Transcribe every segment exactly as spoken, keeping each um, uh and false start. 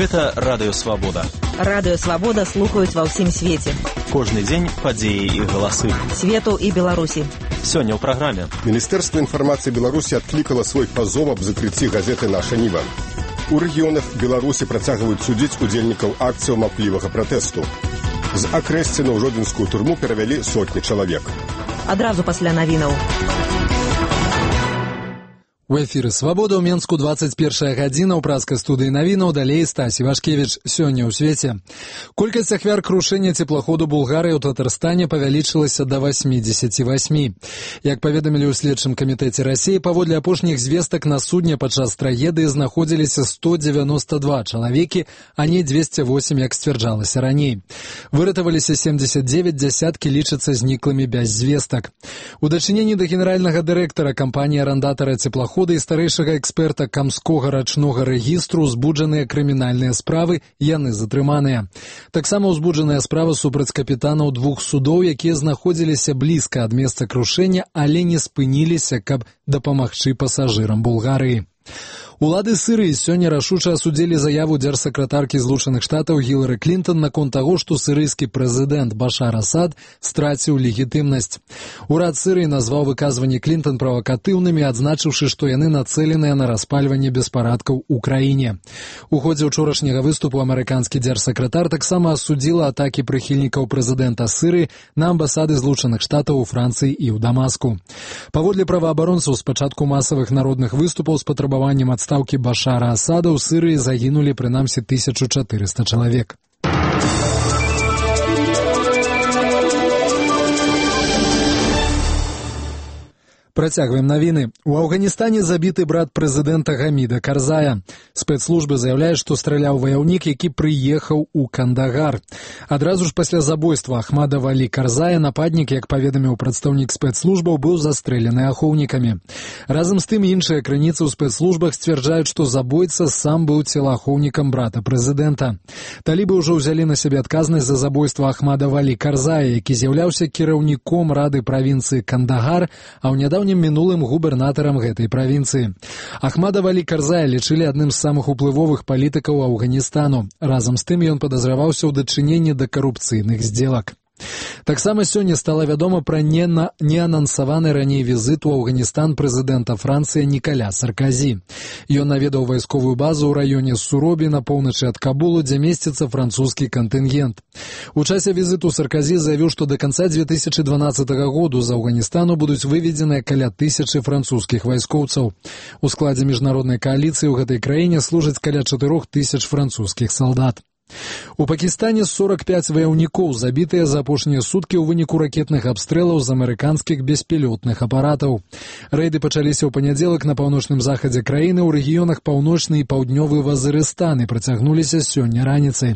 Гэта Радыё Свабода. Радыё Свабода слухаюць ва ўсім свеце. Кожны дзень падзеі і галасы. Свету і Беларусі. Сёння ў праграме. Міністэрства інфармацыі Беларусі адклікала свой пазов аб закрыцці газеты «Наша Ніва». У рэгіёнах Беларусі працягваюць судзіць удзельнікаў акцыяў маўклівага пратэсту. З Акрэсціна ў жодзінскую турму перавялі сотні чалавек. Адразу пасля навінаў. У эфіры «Свабода» ў Менску двадцать первая гадзіна ў праскай студыі навінаў, далей Стась Івашкевіч. Сёння ў свеце. Колькасць ахвяр крушэння цеплаходу Булгарыі ў Татарстане павялічылася да восьмідзесяці васьмі. Як паведамілі ў следчым камітэце Расіі, паводле апошніх звестак на судне падчас трагедыі знаходзіліся сто дзевяносто два чалавекі, а не двести восемь, як сцвярджалася раней. Выратаваліся семьдесят девять, дзясяткі лічацца зніклымі без звестак. У дачыненні да генеральнага дырэктара кампаніі-арандатара цеплахода і старэйшага эксперта Камскога рачнога рэгістру узбуджаныя крымінальныя справы, яны затрыманыя. Таксама ўзбуджаная справа супраць капітанаў двух судоў, якія знаходзіліся блізка ад месца крушэння, але не спыніліся, каб дапамагчы пасажырам Булгарыі. Улады Сырыі сёння рашуча асудзілі заяву дзяржсакратаркі Злучаных Штатаў Гілары Клінтон наконт таго, што сырыйскі прэзідэнт Башар Асад страціў легітымнасць. Урад Сырыі назваў выказванні Клінтон правакатыўнымі, адзначыўшы, што яны нацэленыя на распальванне беспарадкаў у краіне. У ходзе ўчорашняга выступу амерыканскі дзяржсакратар таксама асудзіла атакі прыхільнікаў прэзідэнта Сырыі на амбасады Злучаных Штатаў у Францыі і ў Дамаску. Паводле праваабаронцаў, з пачатку масавых народных выступаў з патрабаваннем адстаўкі Ставкі Башара Асада ў Сырыі загінулі прынамсі тысячу чатырыста чалавек. Працягваем навіны. У Афганістане забіты брат прэзідэнта Гаміда Карзая. Спецслужбы заяўляюць, што страляў ваяўнік, які прыехаў у Кандагар. Адразу ж пасля забойства Ахмада Валі Карзая нападнік, як паведаміў прадстаўнік спецслужбаў, быў застрэлены ахоўнікамі. Разам з тым іншыя крыніцы ў спецслужбах сцвярджаюць, што забойца сам быў целаахоўнікам брата прэзідэнта. Талібы ўжо ўзялі на сябе адказнасць за забойства Ахмада Валі Карзая, які з'яўляўся кіраўніком рады правінцыі Кандагар, а ў нядаўнім мінулым губернатарам гэтай правінцыі. Ахмада Валі Карзая лічылі адным з самых уплывовых палітыкаў Афганістану. Разам з тым ён падазраваўся ў дачыненні да карупцыйных здзелак. Таксама сёння стала вядома пра неанансаваны раней візіт у Афганістан прэзідэнта Францыі Нікаля Сарказі. Ён наведаў вайсковую базу ў раёне Суробі на поўначы ад Кабулу, дзе месціцца французскі кантынгент. У часе візіту Сарказі заявіў, што да канца две тысячы дванаццатага году з Афганістану будуць выведзеныя каля тысячы французскіх вайскоўцаў. У складзе міжнароднай кааліцыі ў гэтай краіне служаць каля чатырох тысяч французскіх салдат. У Пакістане сорок пять ваяўнікоў забітыя за апошнія суткі ў выніку ракетных абстрэлаў з амерыканскіх беспілотных апаратаў. Рэйды пачаліся ў панядзелак на паўночным захадзе краіны ў рэгіёнах паўночны і паўднёвы Вазырыстан і працягнуліся сёння раніцай.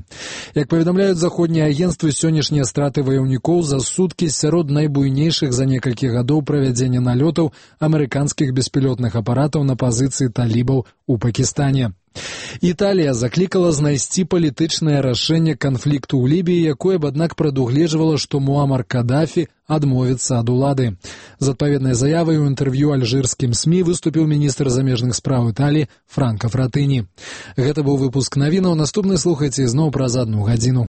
Як паведамляюць заходнія агенцтвы, сённяшнія страты ваяўнікоў за суткі сярод найбуйнейшых за некалькі гадоў правядзення налётаў амерыканскіх беспілотных апаратаў на пазіцыі талібаў у Пакістане. Італія заклікала знайсці палітычнае рашэнне канфлікту ў Лібіі, якое б, аднак, прадугледжвала, што Муамар Кадафі адмовіцца ад улады. З адпаведнай заявай у інтэрв'ю альжырскім СМІ выступіў міністр замежных спраў Італіі Франка Фратыні. Гэта быў выпуск навінаў. Наступны слухайце ізноў праз адну гадзіну.